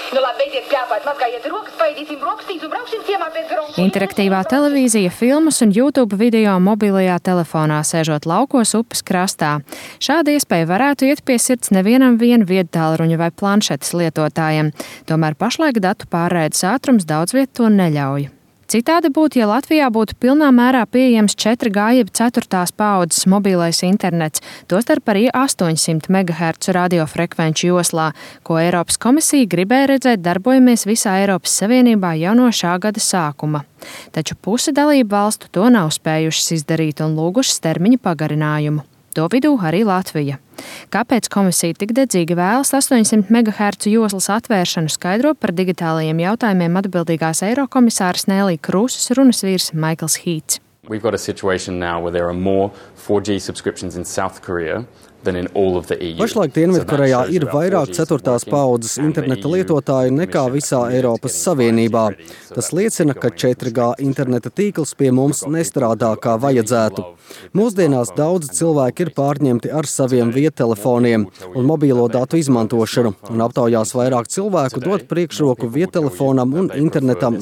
Nu labi, beidziet pļāpāt, mazgājiet rokas, paēdīsim brokastīs un brauksim ciemā pēc garonku. Interaktīvā televīzija, filmas un YouTube video mobilajā telefonā sēžot laukos upes krastā. Šāda iespēja varētu iet pie sirds nevienam viedtālruņa vai planšetes lietotājiem. Tomēr pašlaik datu pārraides ātrums daudz viet to neļauj. Citādi būtu, ja Latvijā būtu pilnā mērā pieejams 4G jeb 4. paaudzes mobilais internets, tostarp arī 800 MHz radiofrekvenču joslā, ko Eiropas komisija gribēja redzēt darbojamies visā Eiropas Savienībā jau no šā gada sākuma. Taču puse dalību valstu to nav spējušas izdarīt un lūgušas termiņa pagarinājumu. To vidū arī Latvija. Kāpēc komisija tik dedzīgi vēlas 800 MHz joslas atvēršanu, skaidro par digitālajiem jautājumiem atbildīgās eirokomisāras Nēlī Krūzes runas vīrs Maikls Hīts. We've got a situation now where there are more 4G subscriptions in South Korea than in all of the EU. Pašlaik Dienvidkorejā ir vairāk 4. paaudzes interneta lietotāju nekā visā Eiropas Savienībā. Tas liecina, ka 4G interneta tīkls pie mums nestrādā kā vajadzētu. Mūsdienās daudzi cilvēki ir pārņemti ar saviem viedtelefoniem un mobīlo datu izmantošanu, un aptaujās vairāk cilvēku dot priekšroku viedtelefonam un internetam